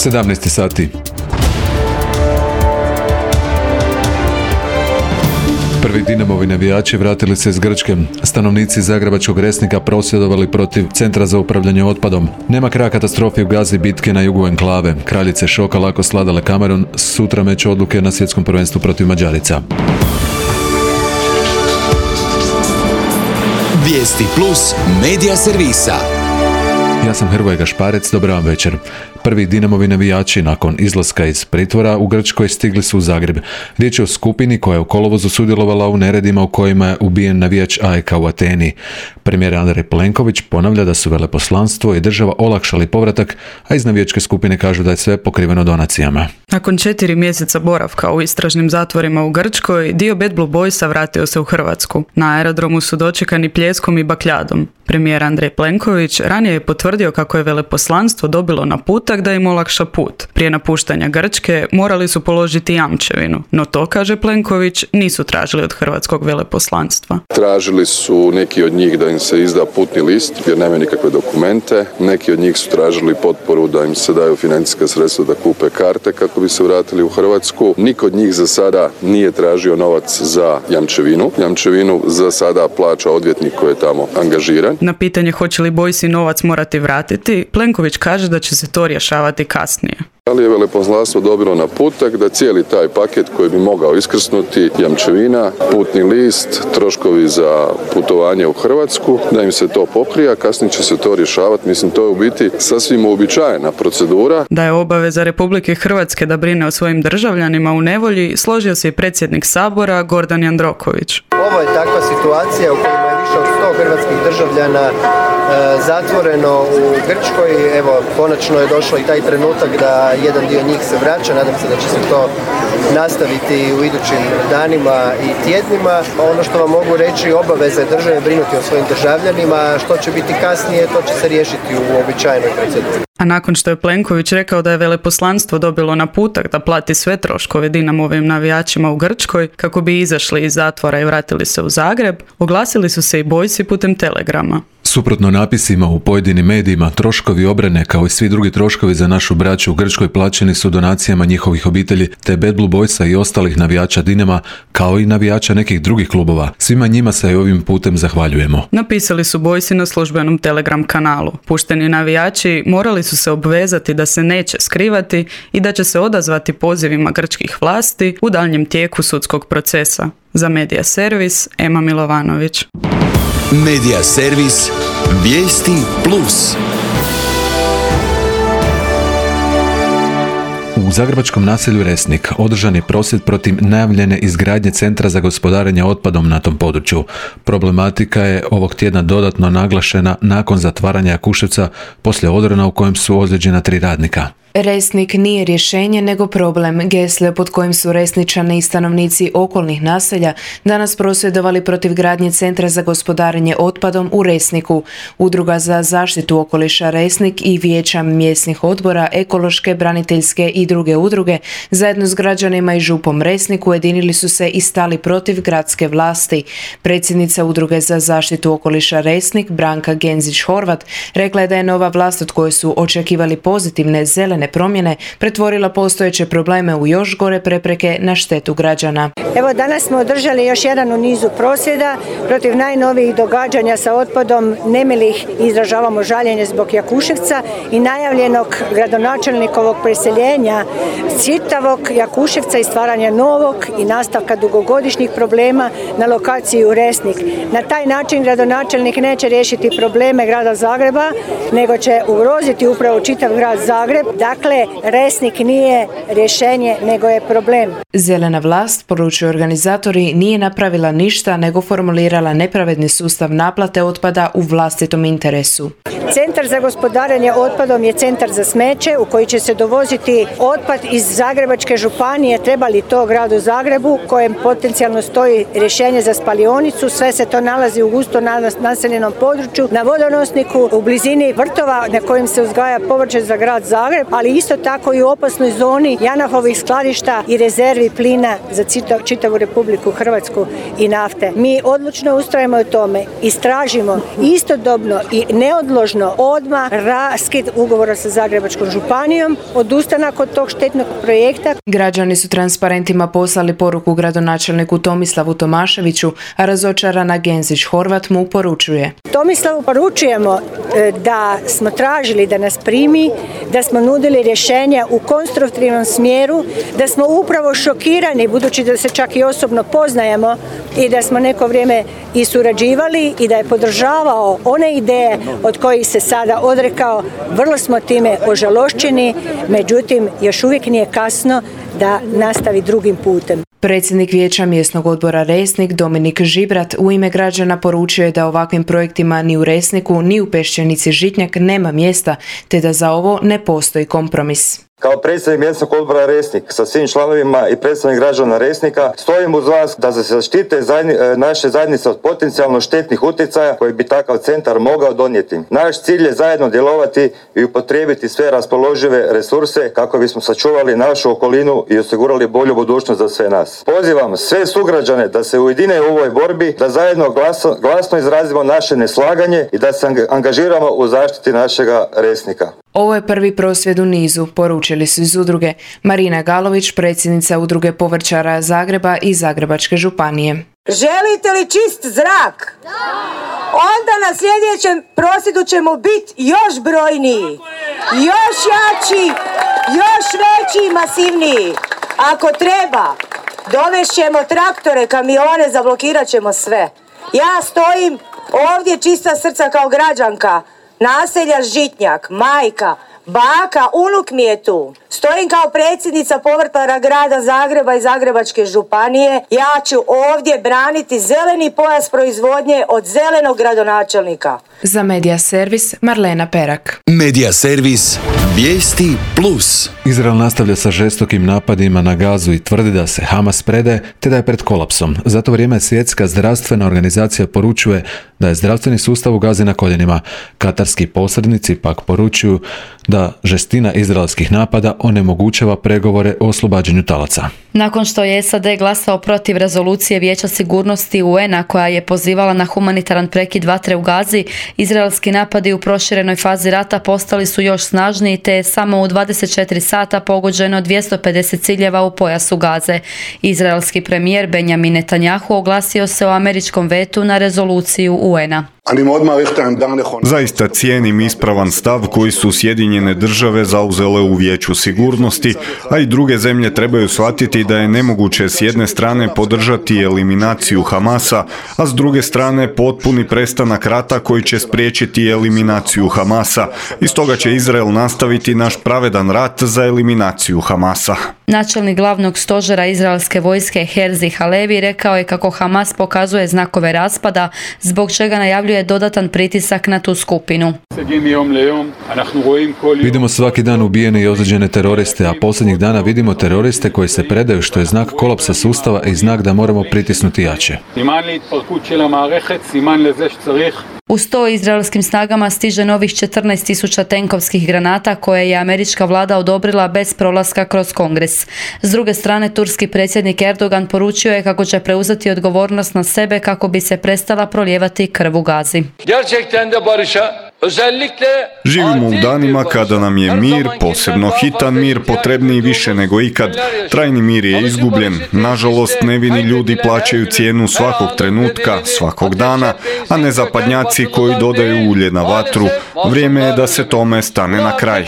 17 sati. Prvi Dinamovi navijači vratili se iz Grčke. Stanovnici zagrebačkog Resnika prosvjedovali protiv Centra za upravljanje otpadom. Nema kraja katastrofi u Gazi, bitke na jugu enklave. Kraljice šoka lako sladale Kamerun, sutra meč odluke na svjetskom prvenstvu protiv Mađarica. Vijesti plus medija servisa. Ja sam Hrvoje Gašparec, dobar vam večer. Prvi Dinamovi navijači nakon izlaska iz pritvora u Grčkoj stigli su u Zagreb. Riječ je o skupini koja je u kolovozu sudjelovala u neredima u kojima je ubijen navijač AEK u Ateni. Premijer Andrej Plenković ponavlja da su veleposlanstvo i država olakšali povratak, a iz navijačke skupine kažu da je sve pokriveno donacijama. Nakon 4 mjeseca boravka u istražnim zatvorima u Grčkoj, dio Bad Blue Boysa vratio se u Hrvatsku. Na aerodromu su dočekani pljeskom i bakljadom. Premijer Andrej Plenković ranije je potvrdio kako je veleposlanstvo dobilo naputak da im olakša put. Prije napuštanja Grčke morali su položiti jamčevinu, no to, kaže Plenković, nisu tražili od hrvatskog veleposlanstva. Tražili su neki od njih da im se izda putni list jer nemaju nikakve dokumente. Neki od njih su tražili potporu da im se daju financijska sredstva da kupe karte kako bi se vratili u Hrvatsku. Niko od njih za sada nije tražio novac za jamčevinu. Jamčevinu za sada plaća odvjetnik koji je tamo angažiran. Na pitanje hoće li Bojsi novac morati vratiti, Plenković kaže da će se to rješavati kasnije. Ali je veleposlanstvo dobilo naputak da cijeli taj paket koji bi mogao iskrsnuti, jamčevina, putni list, troškovi za putovanje u Hrvatsku, da im se to pokrije, a kasnije će se to rješavati. Mislim, to je u biti sasvim uobičajena procedura. Da je obaveza Republike Hrvatske da brine o svojim državljanima u nevolji, složio se i predsjednik Sabora Gordan Jandroković. Ovo je takva situacija u kojima je više od 100 hrvatskih državljana zatvoreno u Grčkoj. Evo, konačno je došao i taj trenutak da jedan dio njih se vraća. Nadam se da će se to nastaviti u idućim danima i tjednima. Ono što vam mogu reći, obaveza je države brinuti o svojim državljanima. Što će biti kasnije, to će se riješiti u uobičajenoj proceduri. A nakon što je Plenković rekao da je veleposlanstvo dobilo naputak da plati sve troškove Dinamovim navijačima u Grčkoj kako bi izašli iz zatvora i vratili se u Zagreb, oglasili su se i Bojsi putem telegrama. Suprotno napisima u pojedinim medijima, troškovi obrane kao i svi drugi troškovi za našu braću u Grčkoj plaćeni su donacijama njihovih obitelji te Bad Blue Boysa i ostalih navijača Dinama kao i navijača nekih drugih klubova. Svima njima se i ovim putem zahvaljujemo. Napisali su Bojsi na službenom Telegram kanalu. Pušteni navijači morali su se obvezati da se neće skrivati i da će se odazvati pozivima grčkih vlasti u daljnjem tijeku sudskog procesa. Za Medija servis, Ema Milovanović. Medija servis, vijesti plus. U zagrebačkom naselju Resnik održan je prosvjed protiv najavljene izgradnje Centra za gospodarenje otpadom na tom području. Problematika je ovog tjedna dodatno naglašena nakon zatvaranja Jakuševca poslije odrona u kojem su ozlijeđena 3 radnika. Resnik nije rješenje nego problem. Gesle pod kojim su Resničani i stanovnici okolnih naselja danas prosvjedovali protiv gradnje Centra za gospodarenje otpadom u Resniku. Udruga za zaštitu okoliša Resnik i vijeća mjesnih odbora, ekološke, braniteljske i druge udruge zajedno s građanima i župom Resnik ujedinili su se i stali protiv gradske vlasti. Predsjednica Udruge za zaštitu okoliša Resnik, Branka Genzić-Horvat, rekla je da je nova vlast od koje su očekivali pozitivne zelene promjene pretvorila postojeće probleme u još gore prepreke na štetu građana. Evo, danas smo održali još jedan u nizu prosvjeda protiv najnovijih događanja sa otpadom nemilih i izražavamo žaljenje zbog Jakuševca i najavljenog gradonačelnikovog preseljenja čitavog Jakuševca i stvaranja novog i nastavka dugogodišnjih problema na lokaciji u Resnik. Na taj način gradonačelnik neće riješiti probleme grada Zagreba, nego će ugroziti upravo čitav grad Zagreb. Dakle, Resnik nije rješenje, nego je problem. Zelena vlast, poručuju organizatori, nije napravila ništa, nego formulirala nepravedni sustav naplate otpada u vlastitom interesu. Centar za gospodarenje otpadom je centar za smeće u koji će se dovoziti otpad iz Zagrebačke županije, treba li to gradu Zagrebu, kojem potencijalno stoji rješenje za spalionicu. Sve se to nalazi u gusto naseljenom području, na vodonosniku, u blizini vrtova na kojim se uzgaja povrće za grad Zagreb, ali isto tako i u opasnoj zoni Janafovih skladišta i rezervi plina za čitavu Republiku Hrvatsku i nafte. Mi odlučno ustrajemo u tome, istražimo istodobno i neodložno konačno odmah raskid ugovora sa Zagrebačkom županijom, odustanak od tog štetnog projekta. Građani su transparentima poslali poruku gradonačelniku Tomislavu Tomaševiću, a razočarana Genzić Horvat mu poručuje. Tomislavu poručujemo da smo tražili da nas primi, da smo nudili rješenja u konstruktivnom smjeru, da smo upravo šokirani, budući da se čak i osobno poznajemo i da smo neko vrijeme i surađivali i da je podržavao one ideje od kojih se sada odrekao. Vrlo smo time ožalošćeni, međutim još uvijek nije kasno da nastavi drugim putem. Predsjednik Vijeća mjesnog odbora Resnik Dominik Žibrat u ime građana poručio je da ovakvim projektima ni u Resniku ni u Peščenici Žitnjak nema mjesta, te da za ovo ne postoji kompromis. Kao predsjednik mjesnog odbora Resnik sa svim članovima i predstavnik građana Resnika stojim uz vas da se zaštite naše zajednice od potencijalno štetnih utjecaja koji bi takav centar mogao donijeti. Naš cilj je zajedno djelovati i upotrijebiti sve raspoložive resurse kako bismo sačuvali našu okolinu i osigurali bolju budućnost za sve nas. Pozivam sve sugrađane da se ujedine u ovoj borbi, da zajedno glasno izrazimo naše neslaganje i da se angažiramo u zaštiti našega Resnika. Ovo je prvi prosvjed u nizu, poručili su iz udruge Marina Galović, predsjednica udruge povrćara Zagreba i Zagrebačke županije. Želite li čist zrak? Da! Onda na sljedećem prosvjedu ćemo biti još brojniji, još jači, još veći i masivniji. Ako treba, dovešćemo traktore, kamione, zablokirat ćemo sve. Ja stojim ovdje čista srca kao građanka naselja Žitnjak, majka, baka, unuk mi je tu. Stojim kao predsjednica povrtlara grada Zagreba i Zagrebačke županije. Ja ću ovdje braniti zeleni pojas proizvodnje od zelenog gradonačelnika. Za Medija servis Marlena Perak. Medija servis Vijesti Plus. Izrael nastavlja sa žestokim napadima na Gazu i tvrdi da se Hamas predaje te da je pred kolapsom. Za to vrijeme Svjetska zdravstvena organizacija poručuje da je zdravstveni sustav u Gazi na koljenima. Katarski posrednici pak poručuju da žestina izraelskih napada onemogućava pregovore o oslobađanju talaca. Nakon što je SAD glasao protiv rezolucije Vijeća sigurnosti UN-a koja je pozivala na humanitaran prekid vatre u Gazi, izraelski napadi u proširenoj fazi rata postali su još snažniji te je samo u 24 sata pogođeno 250 ciljeva u pojasu Gaze. Izraelski premijer Benjamin Netanjahu oglasio se o američkom vetu na rezoluciju UN-a. Zaista cijenim ispravan stav koji su Sjedinjene države zauzele u Vijeću sigurnosti, a i druge zemlje trebaju shvatiti da je nemoguće s jedne strane podržati eliminaciju Hamasa, a s druge strane potpuni prestanak rata koji će spriječiti eliminaciju Hamasa. I stoga će Izrael nastaviti naš pravedan rat za eliminaciju Hamasa. Načelnik glavnog stožera izraelske vojske Herzi Halevi rekao je kako Hamas pokazuje znakove raspada, zbog čega najavljuje dodatan pritisak na tu skupinu. Vidimo svaki dan ubijene i ozlijeđene teroriste, a posljednjih dana vidimo teroriste koji se predaju, što je znak kolapsa sustava i znak da moramo pritisnuti jače. Uz to izraelskim snagama stiže novih 14.000 tenkovskih granata koje je američka vlada odobrila bez prolaska kroz Kongres. S druge strane, turski predsjednik Erdogan poručio je kako će preuzeti odgovornost na sebe kako bi se prestala prolijevati krv u Gazi. Živimo u danima kada nam je mir, posebno hitan mir, potrebniji više nego ikad. Trajni mir je izgubljen. Nažalost, nevini ljudi plaćaju cijenu svakog trenutka, svakog dana, a ne zapadnjaci koji dodaju ulje na vatru. Vrijeme je da se tome stane na kraj.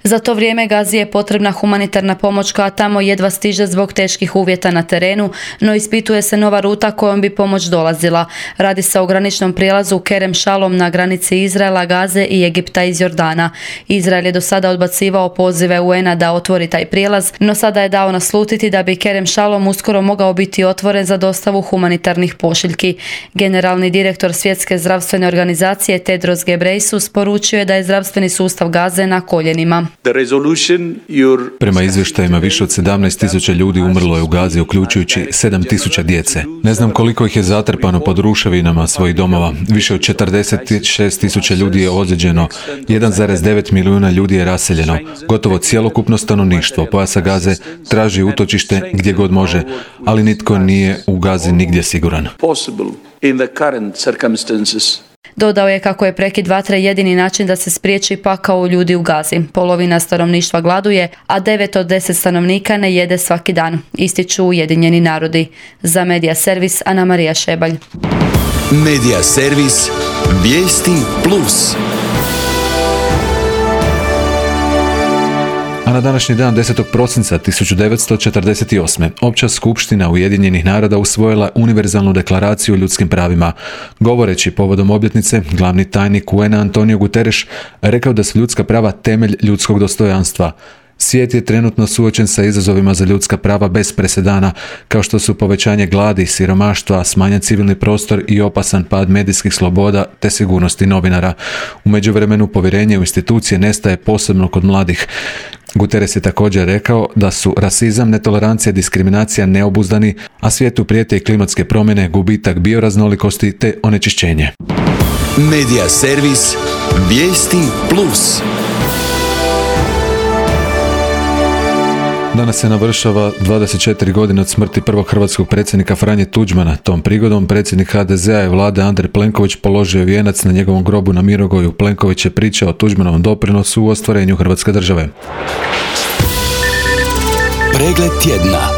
Za to vrijeme Gazi je potrebna humanitarna pomoć koja tamo jedva stiže zbog teških uvjeta na terenu, no ispituje se nova ruta kojom bi pomoć dolazila. Radi se o graničnom prijelazu Kerem Shalom na granici Izraela, Gaze i Egipta iz Jordana. Izrael je do sada odbacivao pozive UN-a da otvori taj prijelaz, no sada je dao naslutiti da bi Kerem Shalom uskoro mogao biti otvoren za dostavu humanitarnih pošiljki. Generalni direktor Svjetske zdravstvene organizacije Tedros Ghebreyesus poručio je da je zdravstveni sustav Gaze na koljenima. Prema izvještajima više od 17.000 ljudi umrlo je u Gazi, uključujući 7.000 djece. Ne znam koliko ih je zatrpano pod ruševinama svojih domova. Više od 46.000 ljudi je ozlijeđeno, 1,9 milijuna ljudi je raseljeno. Gotovo cjelokupno stanovništvo pojasa Gaze traži utočište gdje god može, ali nitko nije u Gazi nigdje siguran. in the current circumstances. Dodao je kako je prekid vatre jedini način da se spriječi pakao ljudi u Gazi. Polovina stanovništva gladuje, a 9 od 10 stanovnika ne jede svaki dan, ističu Ujedinjeni narodi. Za Medija servis Ana Marija Šebalj. Medija servis Vijesti Plus. A na današnji dan 10. prosinca 1948. Opća skupština Ujedinjenih naroda usvojila univerzalnu deklaraciju o ljudskim pravima. Govoreći povodom obljetnice, glavni tajnik UN-a Antonio Guterres rekao da su ljudska prava temelj ljudskog dostojanstva. Svijet je trenutno suočen sa izazovima za ljudska prava bez presedana, kao što su povećanje gladi, siromaštva, smanjen civilni prostor i opasan pad medijskih sloboda te sigurnosti novinara. U međuvremenu povjerenje u institucije nestaje, posebno kod mladih. Guterres je također rekao da su rasizam, netolerancija, diskriminacija neobuzdani, a svijetu prijete i klimatske promjene, gubitak bioraznolikosti te onečišćenje. Medija servis Vijesti Plus. Danas se navršava 24 godine od smrti prvog hrvatskog predsjednika Franje Tuđmana. Tom prigodom predsjednik HDZ-a i vlade Andrej Plenković položio vijenac na njegovom grobu na Mirogoju. Plenković je pričao o Tuđmanovom doprinosu u ostvarenju Hrvatske države. Pregled tjedna.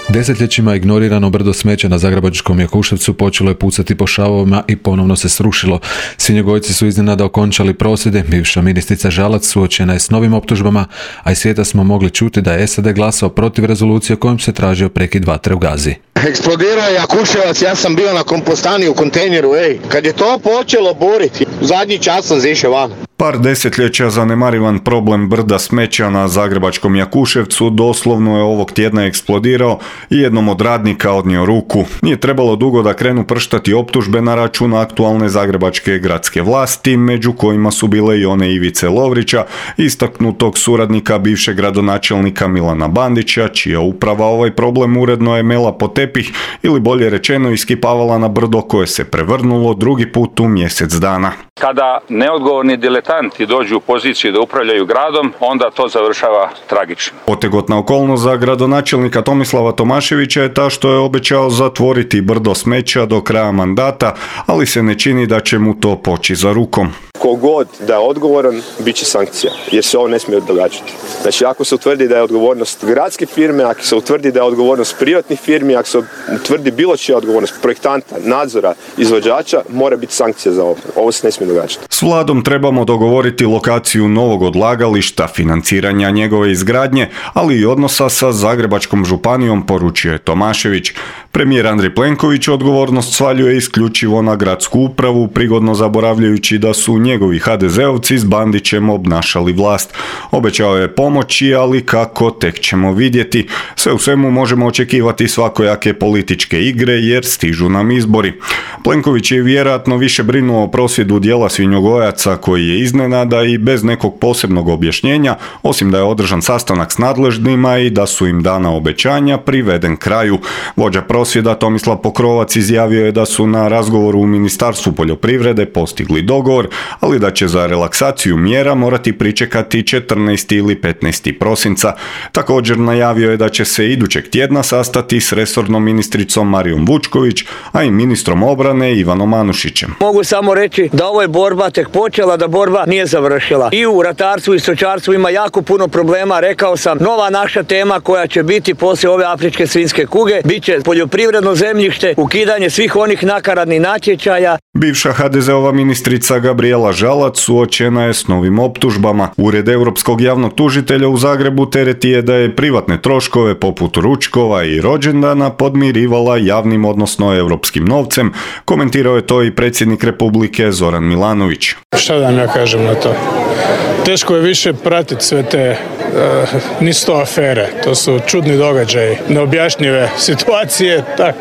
Desetljećima ignorirano brdo smeća na zagrebačkom Jakuševcu počelo je pucati po šavovima i ponovno se srušilo. Svinjogojci su iznenada okončali prosvjede, bivša ministrica Žalac suočena je s novim optužbama, a iz svijeta smo mogli čuti da je SAD glasao protiv rezolucije kojom se tražio prekid vatre u Gazi. Eksplodirao je Jakuševac, ja sam bio na kompostani u kontejneru, kad je to počelo boriti, zadnji čas sam zišao van. Par desetljeća zanemarivan problem brda smeća na zagrebačkom Jakuševcu doslovno je ovog tjedna eksplodirao i jednom od radnika odnio ruku. Nije trebalo dugo da krenu prštati optužbe na račun aktualne zagrebačke gradske vlasti, među kojima su bile i one Ivice Lovrića, istaknutog suradnika bivšeg gradonačelnika Milana Bandića, čija uprava ovaj problem uredno je mela po tepih ili bolje rečeno iskipavala na brdo koje se prevrnulo drugi put u mjesec dana. Kada neodgovorni diletanti dođu u poziciju da upravljaju gradom, onda to završava tragično. Otegotna okolnost za gradonačelnika Tomislava Tomaševića je ta što je obećao zatvoriti brdo smeća do kraja mandata, ali se ne čini da će mu to poći za rukom. Kogod da je odgovoran, bit će sankcija, jer se ovo ne smije događati. Znači, ako se utvrdi da je odgovornost gradske firme, ako se utvrdi da je odgovornost privatnih firmi, ako se utvrdi bilo čija odgovornost projektanta, nadzora, izvođača, mora biti sankcija za ovo. Ovo se ne smije događati. S vladom trebamo dogovoriti lokaciju novog odlagališta, financiranja njegove izgradnje, ali i odnosa sa Zagrebačkom županijom, poručio je Tomašević. Premijer Andrej Plenković odgovornost svaljuje isključivo na gradsku upravu, prigodno zaboravljajući da su njegovi HDZ-ovci s Bandićem obnašali vlast. Obećao je pomoći, ali kako, tek ćemo vidjeti. Sve u svemu možemo očekivati svakojake političke igre jer stižu nam izbori. Plenković je vjerojatno više brinuo o prosvjedu dijela svinjogojaca koji je iznenada i bez nekog posebnog objašnjenja, osim da je održan sastanak s nadležnima i da su im dana obećanja, priveden kraju. Vođa prosvjeda Tomislav Pokrovac izjavio je da su na razgovoru u Ministarstvu poljoprivrede postigli dogovor, ali da će za relaksaciju mjera morati pričekati 14. ili 15. prosinca. Također najavio je da će se idućeg tjedna sastati s resornom ministricom Marijom Vučković, a i ministrom obrane Ivanom Anušićem. Mogu samo reći da ovo je borba tek počela, da borba nije završila. I u ratarstvu i stočarstvu ima jako puno problema, rekao sam, nova naša tema koja će biti poslije ove afričke svinjske kuge, bit će poljoprivredno zemljište, ukidanje svih onih nakaradnih natječaja. Bivša HDZ-ova ministrica Gabrijela Žalac suočena je s novim optužbama. Ured Europskog javnog tužitelja u Zagrebu tereti je da je privatne troškove poput ručkova i rođendana podmirivala javnim odnosno europskim novcem. Komentirao je to i predsjednik Republike Zoran Milanović. Šta da ja kažem na to? Teško je više pratiti sve te nisu to afere, to su čudni događaji, neobjašnjive situacije, tak,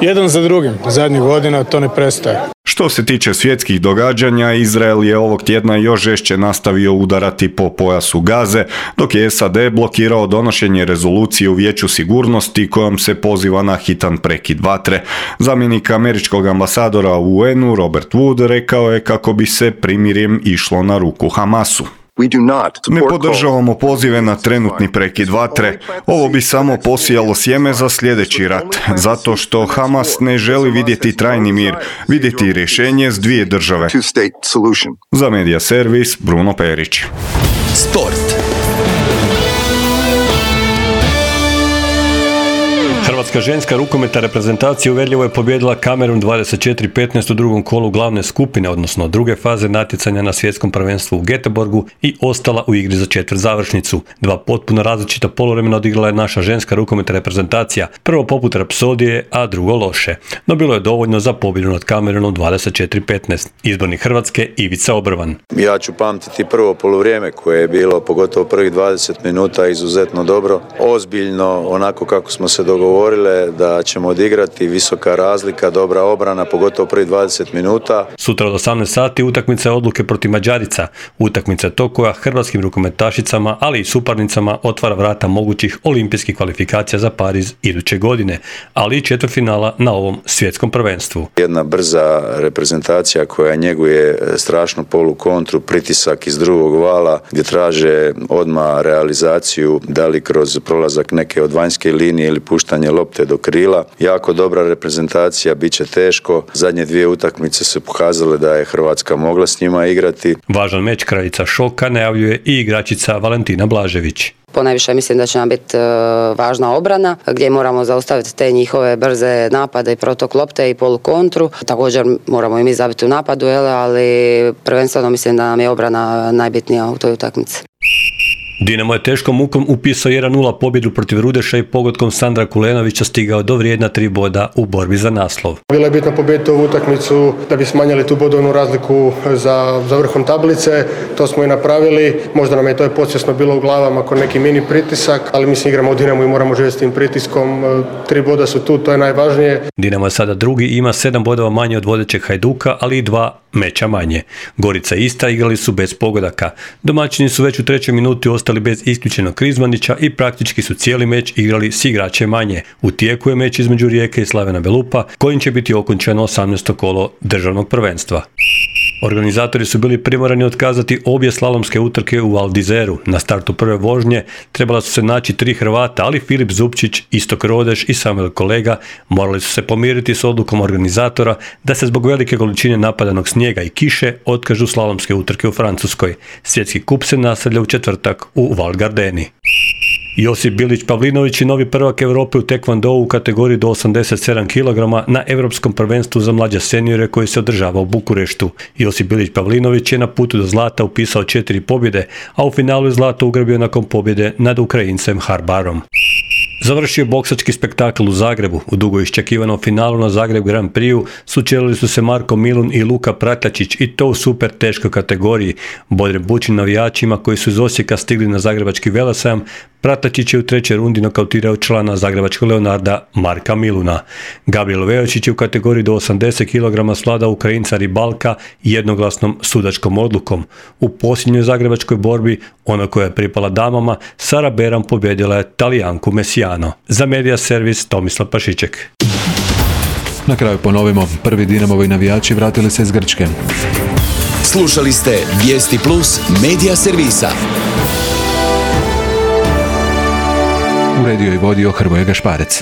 jedan za drugim. Zadnjih godina to ne prestaje. Što se tiče svjetskih događanja, Izrael je ovog tjedna još žešće nastavio udarati po pojasu Gaze, dok je SAD blokirao donošenje rezolucije u Vijeću sigurnosti kojom se poziva na hitan prekid vatre. Zamjenik američkog ambasadora u UN-u Robert Wood rekao je kako bi se primirjem išlo na ruku Hamasu. Ne podržavamo pozive na trenutni prekid vatre. Ovo bi samo posijalo sjeme za sljedeći rat, zato što Hamas ne želi vidjeti trajni mir, vidjeti rješenje s dvije države. Za Medija servis, Bruno Perić. Sport. Hrvatska ženska rukometna reprezentacija uvjerljivo je pobijedila Kamerun 24-15 u drugom kolu glavne skupine, odnosno druge faze natjecanja na svjetskom prvenstvu u Göteborgu i ostala u igri za četvrtzavršnicu. Dva potpuno različita poluvremena odigrala je naša ženska rukometna reprezentacija, prvo poput rapsodije, a drugo loše. No bilo je dovoljno za pobjedu nad Kamerunom 24-15. Izbornik Hrvatske Ivica Obrvan. Ja ću pamtiti prvo poluvrijeme koje je bilo, pogotovo prvih 20 minuta, izuzetno dobro, ozbiljno, onako kako smo se dogovorili da ćemo odigrati, visoka razlika, dobra obrana, pogotovo prvi 20 minuta. Sutra od 18 sati utakmica je odluke protiv Mađarica. Utakmica je to koja hrvatskim rukometašicama, ali i suparnicama otvara vrata mogućih olimpijskih kvalifikacija za Pariz iduće godine, ali i četvrtfinala na ovom svjetskom prvenstvu. Jedna brza reprezentacija koja njeguje strašnu polukontru, pritisak iz drugog vala gdje traže odmah realizaciju, da li kroz prolazak neke od vanjske linije ili puštanje lopte do krila. Jako dobra reprezentacija, bit će teško. Zadnje dvije utakmice su pokazale da je Hrvatska mogla s njima igrati. Važan meč kraljica šoka najavljuje i igračica Valentina Blažević. Ponajviše mislim da će nam biti važna obrana gdje moramo zaustaviti te njihove brze napade i protok lopte i polukontru. Također moramo i mi zabiti u napadu, ali prvenstveno mislim da nam je obrana najbitnija u toj utakmici. Dinamo je teškom mukom upisao 1-0 pobjedu protiv Rudeša i pogodkom Sandra Kulenovića stigao do vrijedna 3 boda u borbi za naslov. Bilo je bitno pobijediti ovu utakmicu da bi smanjili tu bodovnu razliku za vrhom tablice. To smo i napravili. Možda nam je to podsvjesno bilo u glavama kao neki mini pritisak, ali mislim igramo u Dinamu i moramo živjeti s tim pritiskom. 3 boda su tu, to je najvažnije. Dinamo je sada drugi i ima 7 bodova manje od vodećeg Hajduka, ali i 2 meča manje. Gorica i Istra igrali su bez pogodaka. Domaćini su već u 3. minuti ostali bez isključenog Krizmanića i praktički su cijeli meč igrali s igračem manje. U tijeku je meč između Rijeke i Slavena Belupa, kojim će biti okončano 18. kolo državnog prvenstva. Organizatori su bili primorani otkazati obje slalomske utrke u Val d'Izeru. Na startu prve vožnje trebala su se naći 3 Hrvata, ali Filip Zupčić, Istok Rodeš i Samuel Kolega morali su se pomiriti s odlukom organizatora da se zbog velike količine napadanog snijega i kiše otkažu slalomske utrke u Francuskoj. Svjetski kup se nastavlja u četvrtak u Val Gardeni. Josip Bilić Pavlinović je novi prvak Europe u tekvondou u kategoriji do 87 kg na Europskom prvenstvu za mlađe seniore koji se održava u Bukureštu. Josip Bilić Pavlinović je na putu do zlata upisao 4 pobjede, a u finalu je zlato ugrabio nakon pobjede nad Ukrajincem Harbarom. Završio boksački spektakl u Zagrebu. U dugo iščekivanom finalu na Zagreb Grand Prixu sučelili su se Marko Milun i Luka Pratačić i to u super teškoj kategoriji. Bodrem bučnim navijačima koji su iz Osijeka stigli na zagrebački velesajam, Pratačić je u 3. rundi nokautirao člana zagrebačkog Leonarda Marka Miluna. Gabriel Vejočić je u kategoriji do 80 kg svladao Ukrajinca Ribalka jednoglasnom sudačkom odlukom. U posljednjoj zagrebačkoj borbi, ona koja je pripala damama, Sara Beram pobjedila je Talijanku Messijano. Za Medija servis Tomislav Pašiček. Na kraju ponovimo, prvi Dinamovi navijači vratili se iz Grčke. Slušali ste Vijesti Plus Medija servisa. Uredio i vodio Hrvoje Gašparec.